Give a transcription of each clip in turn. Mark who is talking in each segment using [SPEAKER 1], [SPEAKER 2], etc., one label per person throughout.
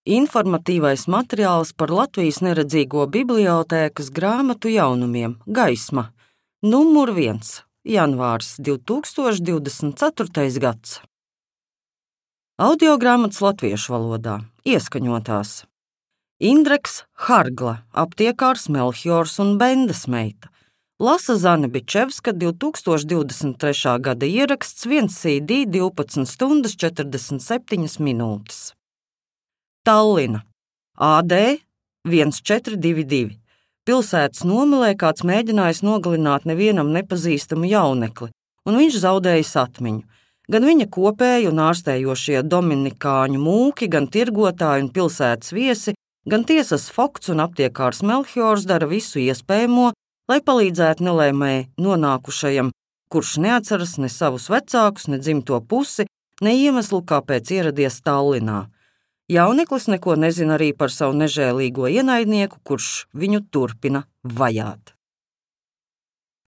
[SPEAKER 1] Informatīvais materiāls par Latvijas neredzīgo bibliotēkas grāmatu jaunumiem Gaisma, numur 1, janvārs 2024. gads. Audiogrāmatas latviešu valodā, ieskaņotās. Indreks Hargla, aptiekārs Melchiors un Bendes meita. Lasa Zane Bičevska, 2023. gada ieraksts, 1 CD, 12 stundas 47 minūtes. Tallina, AD 1422. Pilsētas nomalē kāds mēģinājis nogalināt nevienam nepazīstamu jaunekli, un viņš zaudējis atmiņu. Gan viņa kopēji un ārstējošie dominikāņu mūki, gan tirgotāji un pilsētas viesi, gan tiesas Fokts un aptiekārs Melchiors dara visu iespējamo, lai palīdzētu nelēmēji nonākušajam, kurš neatceras ne savus vecākus, ne dzimto pusi, ne iemeslu, kāpēc ieradies Tallinā. Jauneklis neko nezina arī par savu nežēlīgo ienaidnieku, kurš viņu turpina vajāt.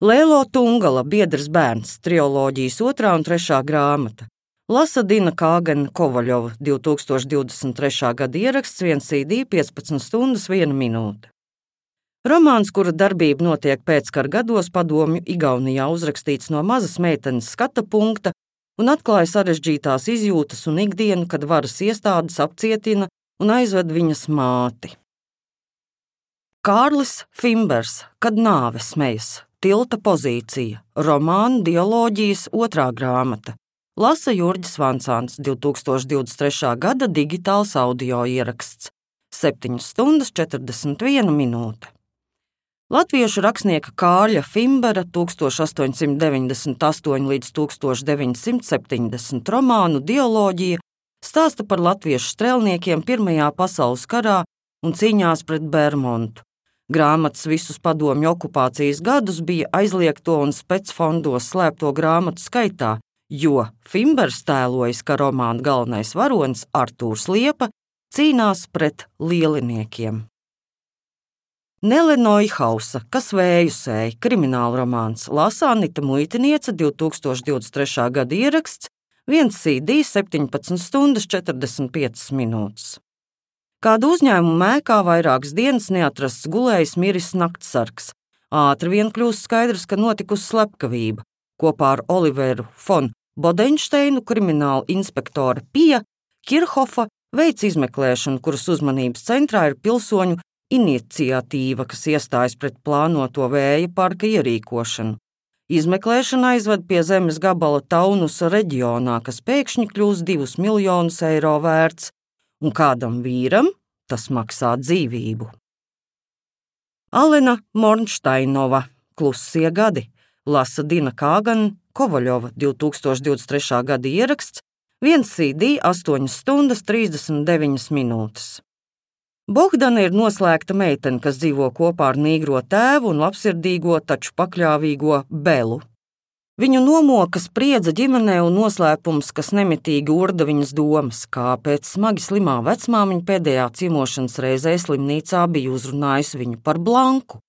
[SPEAKER 1] Lēlo Tungala, biedrs bērns, triloģijas 2. un 3. grāmata. Lasa Dina Kāgena Kovaļova, 2023. gada ieraksts, 1 CD, 15 stundas 1 minūte. Romāns, kura darbība notiek pēckara gados, padomju Igaunijā, uzrakstīts no mazas meitenes skata punkta, un atklāja sarežģītās izjūtas un ikdienu, kad varas iestādes apcietina un aizved viņas māti. Kārlis Fimbers, Kad nāve smejas, tilta pozīcija, romāna dialoģijas 2. grāmata. Lasa Jurģis Vancāns, 2023. gada digitāls audio ieraksts, 7 stundas 41 minūte. Latviešu rakstnieka Kārļa Fimbera 1898 līdz 1970 romānu dialoģija stāsta par latviešu strēlniekiem Pirmajā pasaules karā un cīņās pret Bermontu. Grāmatas visus padomju okupācijas gadus bija aizliegto un specfondos slēpto grāmatu skaitā, jo Fimbers tēlojas, ka romāna galvenais varonis Artūrs Liepa cīnās pret lieliniekiem. Nele Noihausa, Kas vēju sēj, kriminālromāns, lasa Anita Muitiniece, 2023. gada ieraksts, 1 CD, 17 stundas 45 minūtes. Kādu uzņēmumu mēkā vairākas dienas neatrasts gulējs miris naktsargs. Ātri vien kļūst skaidrs, ka notikusi slepkavība. Kopā ar Oliveru Fon Bodenšteinu krimināla inspektore Pija Kirhofa veic izmeklēšanu, kuras uzmanības centrā ir pilsoņu iniciatīva, kas iestājas pret plānoto vēja parka ierīkošanu. Izmeklēšana aizved pie zemes gabala Taunusa reģionā, kas pēkšņi kļūs 2 miljonus eiro vērts, un kādam vīram tas maksā dzīvību. Alena Mornšteinova, Klusie gadi, lasa Dina Kāgena Kovaļova, 2023. gada ieraksts, 1 CD, 8 stundas 39 minūtes. Bohdana ir noslēgta meitene, kas dzīvo kopā ar nīgro tēvu un labsirdīgo, taču pakļāvīgo Belu. Viņu nomoka spriedze ģimenē un noslēpums, kas nemitīgi urda viņas domas, kāpēc smagi slimā vecmāmiņa pēdējā ciemošanas reizē slimnīcā bija uzrunājusi viņu par Blanku.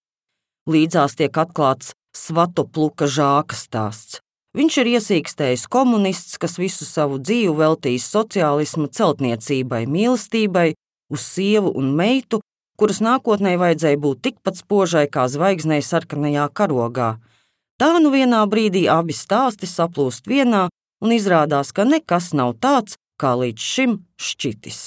[SPEAKER 1] Līdzās tiek atklāts Svatopluka Žāka stāsts. Viņš ir iesīkstējis komunists, kas visu savu dzīvi veltījis sociālisma celtniecībai, mīlestībai, uz sievu un meitu, kuras nākotnē vajadzēja būt tikpat spožai kā zvaigznei sarkanajā karogā. Tā nu vienā brīdī abi stāsti saplūst vienā un izrādās, ka nekas nav tāds, kā līdz šim šķitis.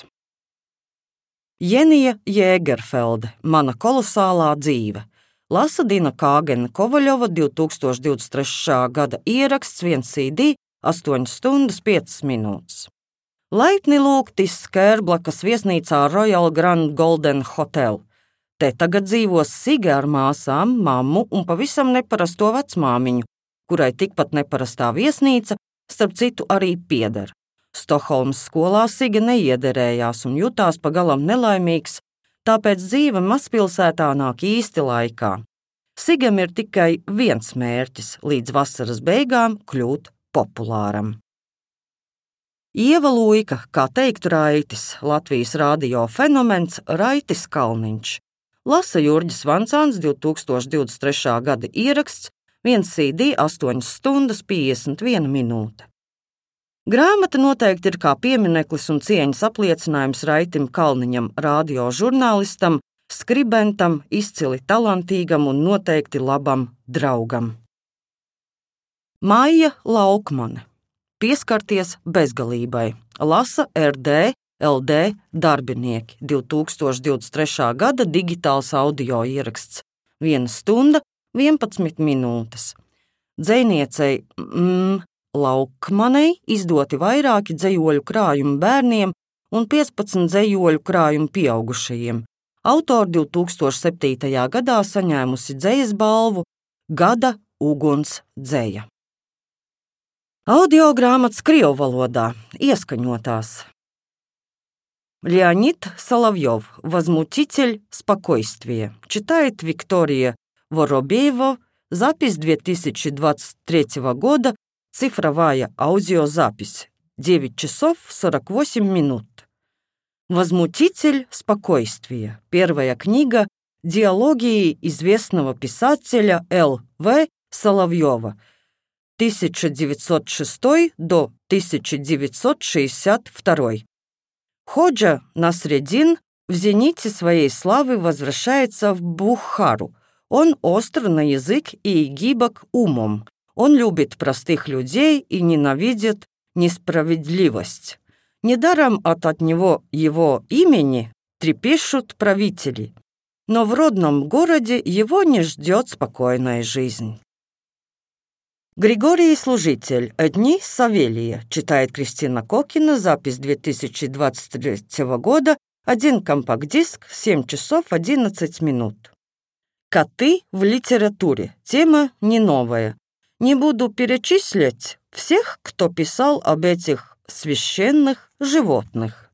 [SPEAKER 1] Jenija Jēgerfelde, Mana kolosālā dzīve, lasa Dina Kāgena Kovaļova, 2023. gada ieraksts, 1 CD, 8 stundas 5 minūtes. Laipni lūgti Skērblakas viesnīcā Royal Grand Golden Hotel. Te tagad dzīvos Sige ar māsām, mammu un pavisam neparasto vecmāmiņu, kurai tikpat neparastā viesnīca, starp citu, arī pieder. Stokholmas skolā Sige neiederējās un jutās pagalam nelaimīgs, tāpēc dzīve mazpilsētā nāk īsti laikā. Sigam ir tikai viens mērķis – līdz vasaras beigām kļūt populāram. Ieva Luika, kā teiktu Raitis, Latvijas radio fenomens Raitis Kalniņš. Lasa Jurģis Vancāns, 2023. gada ieraksts, 1 CD, 8 stundas 51 minūte. Grāmata noteikti ir kā piemineklis un cieņas apliecinājums Raitim Kalniņam, radiožurnālistam, skribentam, izcili talantīgam un noteikti labam draugam. Maija Laukmane. Pieskarties bezgalībai. Lasa RD LD darbinieki. 2023. gada digitāls audio ieraksts. 1 stunda, 11 minūtes. Dzejniecei Laukmanei izdoti vairāki dzejoļu krājumi bērniem un 15 dzejoļu krājumi pieaugušajiem. Autori 2007. gadā saņēmusi dzejas balvu Gada uguns dzeja. Audio grāmatas krievu valodā ieskaņotās. Леонид Соловьев. Возмутитель спокойствия. Читает Виктория Воробеева. Запись 2023 года. Цифровая аудиозапись. 9 часов 48 минут. Возмутитель спокойствия. Первая книга диалогии известного писателя Л.В. Соловьева 1906 до 1962. Ходжа Насреддин в зените своей славы возвращается в Бухару. Он остр на язык и гибок умом. Он любит простых людей и ненавидит несправедливость. Недаром от него его имени трепещут правители, но в родном городе его не ждет спокойная жизнь. Григорий Служитель. Дни Савелия. Читает Кристина Кокина. Запись 2023 года. 1 компакт-диск. 7 часов 11 минут. Коты в литературе. Тема не новая. Не буду перечислять всех, кто писал об этих священных животных.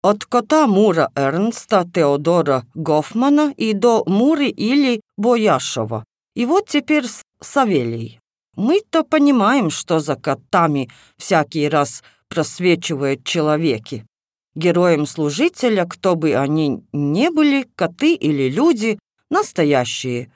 [SPEAKER 1] От кота Мура Эрнста Теодора Гофмана и до Муры или Бояшева. И вот теперь Савелий. Мы-то понимаем, что за котами всякий раз просвечивают человеки. Героем Служителя, кто бы они ни были, коты или люди, настоящие,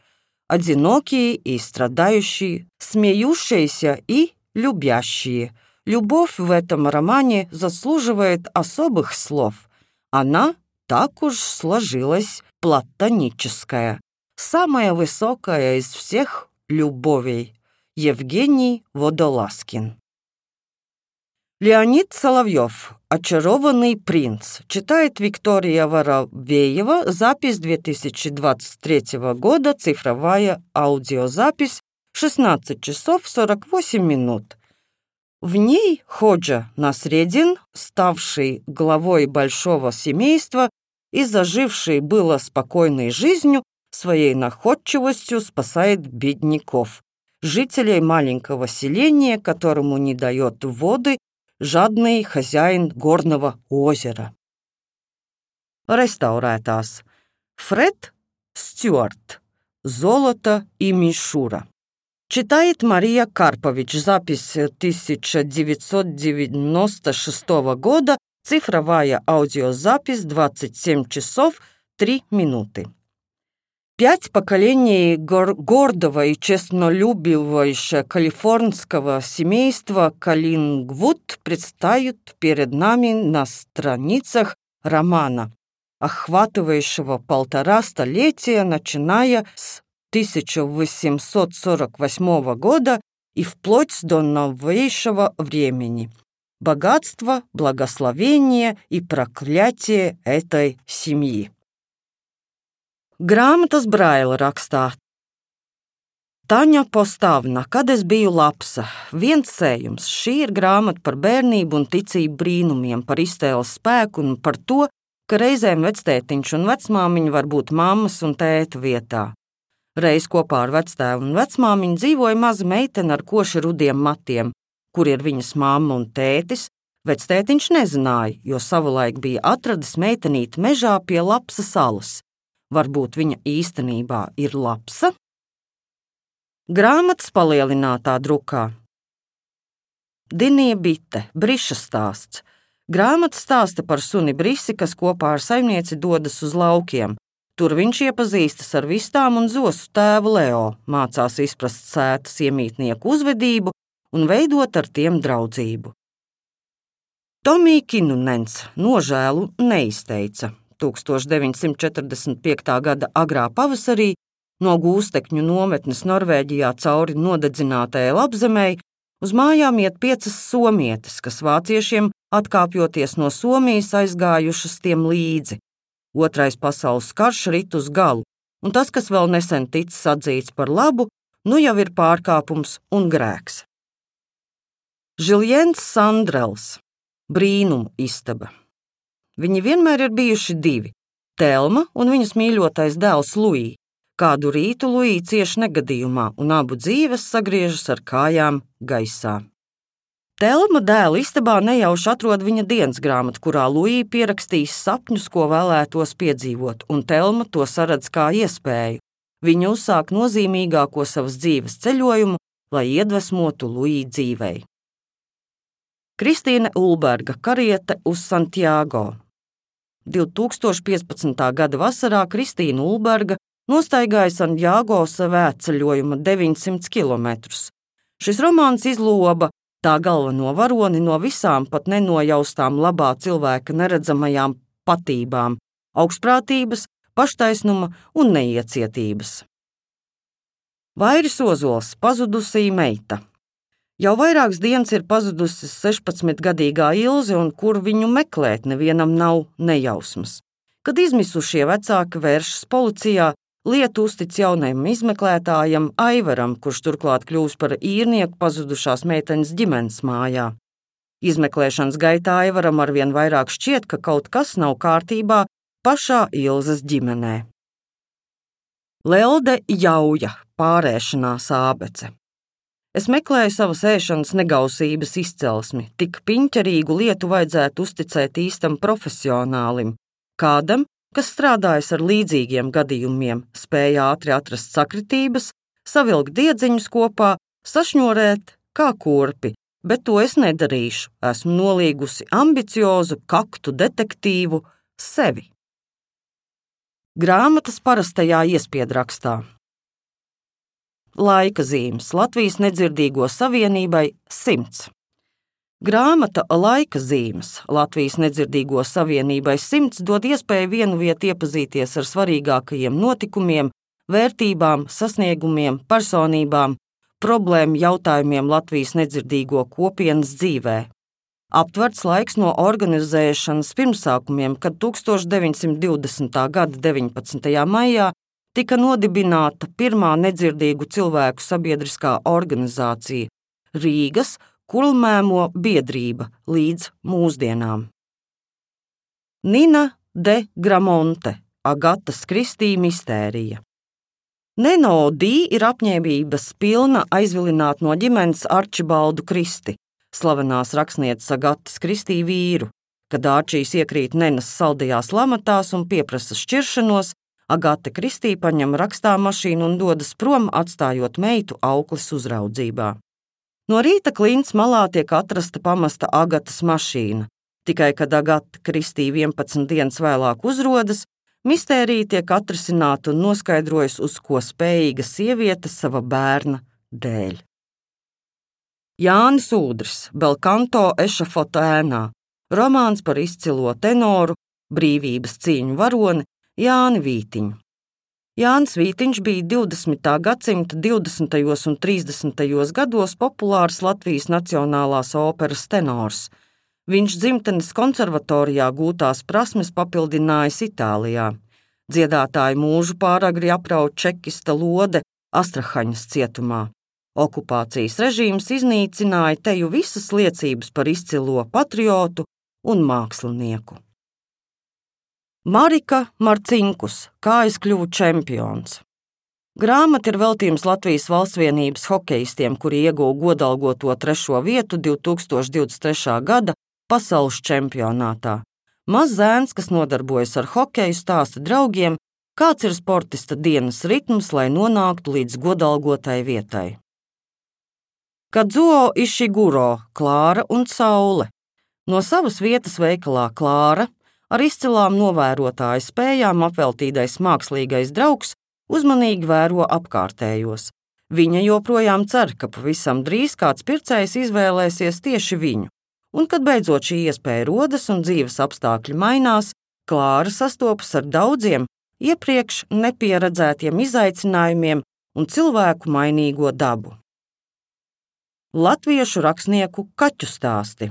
[SPEAKER 1] одинокие и страдающие, смеющиеся и любящие. Любовь в этом романе заслуживает особых слов. Она так уж сложилась платоническая, самая высокая из всех любовей. Евгений Водолазкин. Леонид Соловьев. «Очарованный принц». Читает Виктория Воробеева. Запись 2023 года. Цифровая аудиозапись. 16 часов 48 минут. В ней Ходжа Насреддин, ставший главой большого семейства и заживший было спокойной жизнью, своей находчивостью спасает бедняков, жителей маленького селения, которому не дает воды жадный хозяин горного озера. Реставрētās. Фред Стюарт. «Золото и мишура». Читает Мария Карпович. Запись 1996 года. Цифровая аудиозапись. 27 часов 3 минуты. 5 поколений гордого и честнолюбивого калифорнского семейства Каллингвуд предстают перед нами на страницах романа, охватывающего 1,5 столетия, начиная с 1848 года и вплоть до новейшего времени. Богатство, благословение и проклятие этой семьи. Grāmatas Braila rakstā. Taņa Postavna, kad es biju lapsa. Viens sējums. Šī ir grāmata par bērnību un ticību brīnumiem, par iztēles spēku un par to, ka reizēm vectētiņš un vecmāmiņa var būt mammas un tēta vietā. Reiz kopā ar vectēvu un vecmāmiņu dzīvoja maza meitene ar koši rudiem matiem, kur ir viņas mamma un tētis. Vectētiņš nezināja, jo savulaik bija atradis meitenīti mežā pie Lapsa salas. Varbūt viņa īstenībā ir lapsa? Grāmatas palielinātā drukā. Dinija Bite, Briša stāsts. Grāmata stāsta par suni Brisi, kas kopā ar saimnieci dodas uz laukiem. Tur viņš iepazīstas ar vistām un zosu tēvu Leo, mācās izprast sētas iemītnieku uzvedību un veidot ar tiem draudzību. Tomijs Kinunens nožēlu neizteica. 1945. gada agrā pavasarī no gūstekņu nometnes Norvēģijā cauri nodedzinātajai Lapzemei uz mājām iet 5 somietes, kas vāciešiem atkāpjoties no Somijas aizgājušas tiem līdzi. Otrais pasaules karš rit uz galu, un tas, kas vēl nesen ticis atzīts par labu, nu jau ir pārkāpums un grēks. Žiljens Sandrels, brīnumu istaba. Viņi vienmēr ir bijuši 2 – Telma un viņas mīļotais dēls Luī. Kādu rītu Luī cieš negadījumā, un abu dzīves sagriežas ar kājām gaisā. Telma dēla istabā nejauši atrod viņa dienas grāmatu, kurā Luī pierakstījis sapņus, ko vēlētos piedzīvot, un Telma to saredz kā iespēju. Viņa uzsāk nozīmīgāko savas dzīves ceļojumu, lai iedvesmotu Luī dzīvei. Kristīne Ulberga kariete uz Santiago. 2015. gada vasarā Kristīna Ulberga nostaigāja Santiago svētceļojuma 900 km. Šis romāns izloba tā galveno varoni no visām pat nenojaustām labā cilvēka neredzamajām patībām – augstprātības, paštaisnuma un neiecietības. Vairis Ozols, pazudusī meita. Jau vairākas dienas ir pazudusi 16-gadīgā Ilze, un kur viņu meklēt nevienam nav nejausmas. Kad izmisušie vecāki vēršas policijā, lietu uztic jaunajam izmeklētājam Aivaram, kurš turklāt kļūs par īrnieku pazudušās meitenes ģimenes mājā. Izmeklēšanas gaitā Aivaram arvien vairāk šķiet, ka kaut kas nav kārtībā pašā Ilzes ģimenē. Lelde Jauja, pārēšanās ābece. Es meklēju savas ēšanas negausības izcelsmi, tik piņķerīgu lietu vajadzētu uzticēt īstam profesionālim, kādam, kas strādājas ar līdzīgiem gadījumiem, spēja ātri atrast sakritības, savilkt diedziņus kopā, sašņorēt kā kurpi, bet to es nedarīšu, esmu nolīgusi ambiciozu kaktu detektīvu sevi. Grāmatas parastajā iespiedrakstā. Laika zīmes Latvijas nedzirdīgo savienībai 100. Grāmata Laika zīmes Latvijas nedzirdīgo savienībai 100 dod iespēju vienviet iepazīties ar svarīgākajiem notikumiem, vērtībām, sasniegumiem, personībām, problēmu jautājumiem Latvijas nedzirdīgo kopienas dzīvē. Aptverts laiks no organizēšanas pirmsākumiem, kad 1920. gada 19. maijā tika nodibināta pirmā nedzirdīgu cilvēku sabiedriskā organizācija – Rīgas Kulmēmo biedrība līdz mūsdienām. Nina de Gramonte, Agatas Kristī mistērija. Neno Dī ir apņēmības pilna aizvilināt no ģimenes Arčibaldu Kristi, slavenās rakstnieces Agatas Kristī vīru. Kad Ārčijs iekrīt Nenas saldajās lamatās un pieprasa šķiršanos, Agata Kristī paņem rakstāmašīnu un dodas prom, atstājot meitu aukles uzraudzībā. No rīta klints malā tiek atrasta pamesta Agatas mašīna. Tikai kad Agata Kristī 11 dienas vēlāk uzrodas, mistērija tiek atrisināta un noskaidrojas, uz ko spējīga sieviete sava bērna dēļ. Jānis Ūdris, Belkanto ešafota ēnā, romāns par izcilo tenoru, brīvības cīņu varoni Jāni Vītiņu. Jānis Vītiņš bija 20. gadsimta 20. un 30. gados populārs Latvijas Nacionālās operas tenors. Viņš dzimtenes konservatorijā gūtās prasmes papildinājis Itālijā. Dziedātāju mūžu pāragri aprauj čekista lode Astrahaņas cietumā. Okupācijas režīms iznīcināja teju visas liecības par izcilo patriotu un mākslinieku. Marika Marcinkus, kā es kļuvu čempions. Grāmata ir veltījums Latvijas valstsvienības hokejistiem, kuri ieguva godalgoto 3. vietu 2023. gada pasaules čempionātā. Mazs zēns, kas nodarbojas ar hokeju, stāsta draugiem, kāds ir sportista dienas ritms, lai nonāktu līdz godalgotai vietai. Kadzuo Išiguro, Klāra un Saule. No savas vietas veikalā Klāra ar izcilām novērotāju spējām apveltītais mākslīgais draugs uzmanīgi vēro apkārtējos. Viņa joprojām cer, ka pavisam drīz kāds pircējs izvēlēsies tieši viņu, un kad beidzot šī iespēja rodas un dzīves apstākļi mainās, Klāra sastopas ar daudziem iepriekš nepieredzētiem izaicinājumiem un cilvēku mainīgo dabu. Latviešu rakstnieku kaķu stāsti.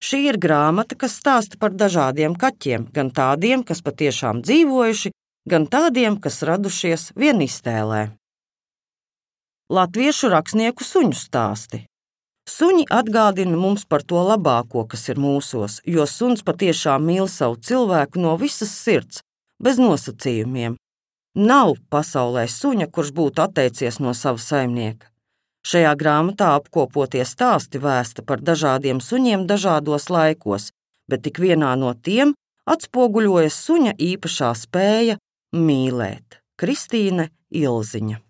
[SPEAKER 1] Šī ir grāmata, kas stāsta par dažādiem kaķiem, gan tādiem, kas patiešām dzīvojuši, gan tādiem, kas radušies vien iztēlē. Latviešu rakstnieku suņu stāsti. Suņi atgādina mums par to labāko, kas ir mūsos, jo suns patiešām mīl savu cilvēku no visas sirds, bez nosacījumiem. Nav pasaulē suņa, kurš būtu atteicies no sava saimnieka. Šajā grāmatā apkopotie stāsti vēsta par dažādiem suņiem dažādos laikos, bet tik vienā no tiem atspoguļojas suņa īpašā spēja mīlēt. Kristīne Ilziņa.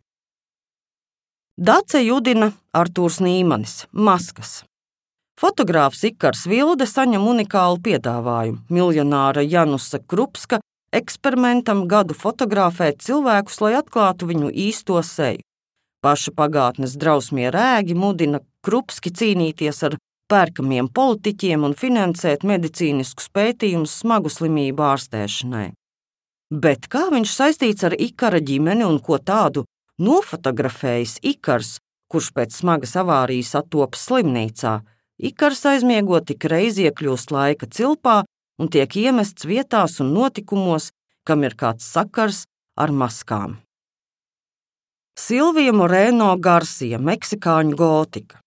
[SPEAKER 1] Dace Judina, Artūrs Nīmanis, Maskas. Fotogrāfs Ikars Vilde saņem unikālu piedāvājumu. Miljonāra Janusa Krupska eksperimentam gadu fotografēt cilvēkus, lai atklātu viņu īsto seju. Paša pagātnes drausmie rēgi mudina Krupski cīnīties ar pērkamiem politiķiem un finansēt medicīniskus pētījumus smagu slimību ārstēšanai. Bet kā viņš saistīts ar Ikara ģimeni un ko tādu nofotografējis Ikars, kurš pēc smagas avārijas attopas slimnīcā? Ikars aizmiegot tik reiz iekļūst laika cilpā un tiek iemests vietās un notikumos, kam ir kāds sakars ar maskām. Silvija Moreno Garcia, meksikāņu gotika.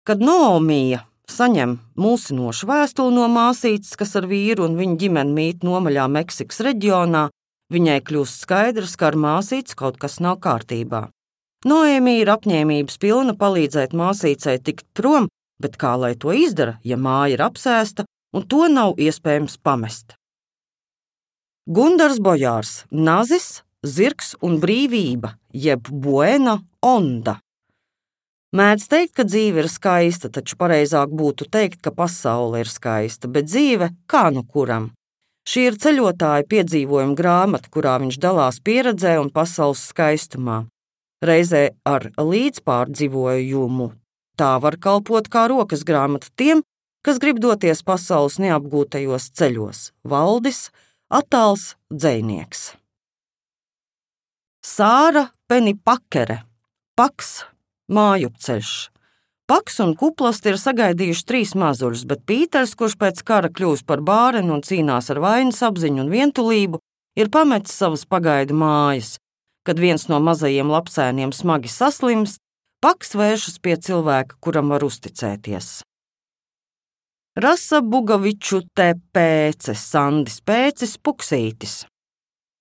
[SPEAKER 1] Kad Noomija saņem mulsinošu vēstuli no māsītes, kas ar vīru un viņa ģimeni mīt nomaļā Meksikas reģionā, viņai kļūst skaidrs, ka ar māsītes kaut kas nav kārtībā. Noēmija ir apņēmības pilna palīdzēt māsīcei tikt prom, bet kā lai to izdara, ja māja ir apsēsta un to nav iespējams pamest? Gundars Bojārs, Nazis, Zirgs un brīvība, jeb Buena onda. Mēdz teikt, ka dzīve ir skaista, taču pareizāk būtu teikt, ka pasaule ir skaista, bet dzīve kā nu kuram. Šī ir ceļotāja piedzīvojuma grāmata, kurā viņš dalās pieredzē un pasaules skaistumā. Reizē ar līdzpārdzīvojumu. Tā var kalpot kā rokas grāmata tiem, kas grib doties pasaules neapgūtajos ceļos. Valdis, attāls dzejnieks. Sāra Penipakere, Paks, mājupceļš. Paks un Kuplasti ir sagaidījuši 3 mazuļus, bet Pīters, kurš pēc kara kļūst par bāreni un cīnās ar vainas apziņu un vientulību, ir pametis savas pagaidu mājas. Kad viens no mazajiem lapsēniem smagi saslimst, Paks vēršas pie cilvēka, kuram var uzticēties. Rasa Bugaviču te Pēces, Sandis Pēcis, Puksītis.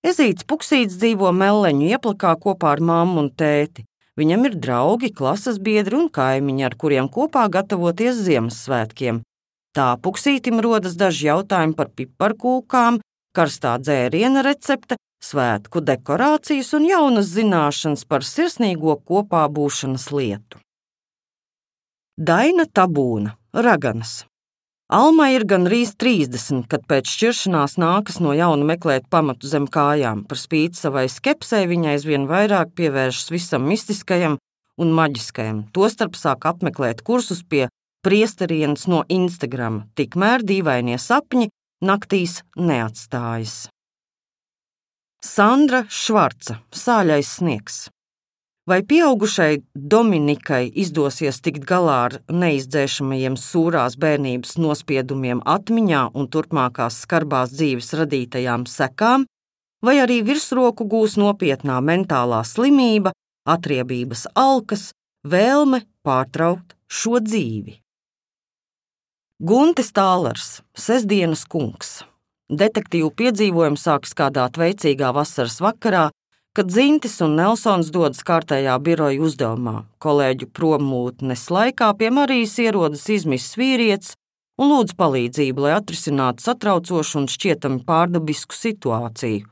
[SPEAKER 1] Ezīts Puksītis dzīvo Melleņu ieplakā kopā ar mammu un tēti. Viņam ir draugi, klases biedri un kaimiņi, ar kuriem kopā gatavoties Ziemassvētkiem. Tā Puksītim rodas daži jautājumi par piparkūkām, karstā dzēriena recepte, svētku dekorācijas un jaunas zināšanas par sirsnīgo kopā būšanas lietu. Daina Tabūna, Raganas. Almai ir gandrīz 30, kad pēc šķiršanās nākas no jauna meklēt pamatu zem kājām. Par spīti savai skepsei viņa aizvien vairāk pievēršas visam mistiskajam un maģiskajam. Tostarp sāk apmeklēt kursus pie priesterienes no Instagram, tikmēr dīvainie sapņi naktīs neatstājas. Sandra Švarca, Sāļais sniegs. Vai pieaugušai Dominikai izdosies tikt galā ar neizdzēšamajiem sūrās bērnības nospiedumiem atmiņā un turpmākās skarbās dzīves radītajām sekām, vai arī virsroku gūs nopietnā mentālā slimība, atriebības alkas, vēlme pārtraukt šo dzīvi? Guntis Tālars, Sestdienas kungs. Detektīvu piedzīvojumi sākas kādā veicīgā vasaras vakarā, kad Zintis un Nelsons dodas kārtējā biroja uzdevumā. Kolēģu prommūtnes laikā pie Marijas ierodas izmisis vīrietis un lūdz palīdzību, lai atrisinātu satraucošu un šķietami pārdabisku situāciju.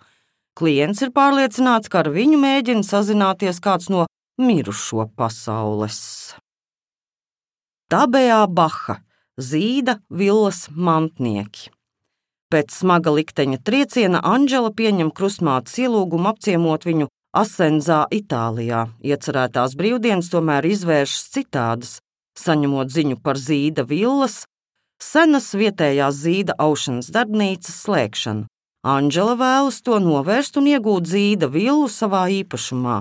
[SPEAKER 1] Klients ir pārliecināts, ka ar viņu mēģina sazināties kāds no mirušo pasaules. Tabejā Baha, Zīda villas mantnieki. Pēc smaga likteņa trieciena Anģela pieņem krustmātes ielūgumu apciemot viņu Asenzā, Itālijā. Iecerētās brīvdienas tomēr izvēršas citādas. Saņemot ziņu par Zīda villas, senas vietējās zīda aušanas darbnīcas slēgšanu. Anģela vēlas to novērst un iegūt zīda villu savā īpašumā,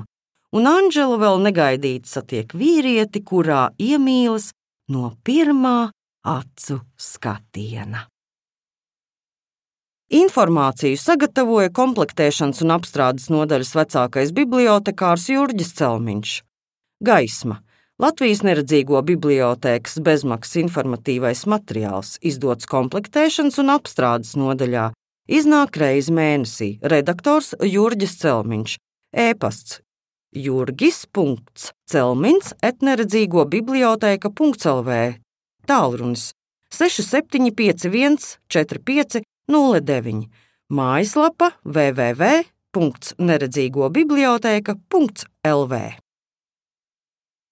[SPEAKER 1] un Anģela vēl negaidīti satiek vīrieti, kurā iemīlas no pirmā acu skatiena. Informāciju sagatavoja komplektēšanas un apstrādes nodaļas vecākais bibliotekārs Jurģis Celmiņš. Gaisma – Latvijas neredzīgo bibliotēkas bezmaksas informatīvais materiāls, izdots komplektēšanas un apstrādes nodaļā. Iznāk reizi mēnesī. Redaktors Jurģis Celmiņš. E-pasts jurgis.celmiņs@neredzīgobiblioteka.lv. Tālrunis 6751 45 09. Mājaslapa www.neredzīgobiblioteka.lv.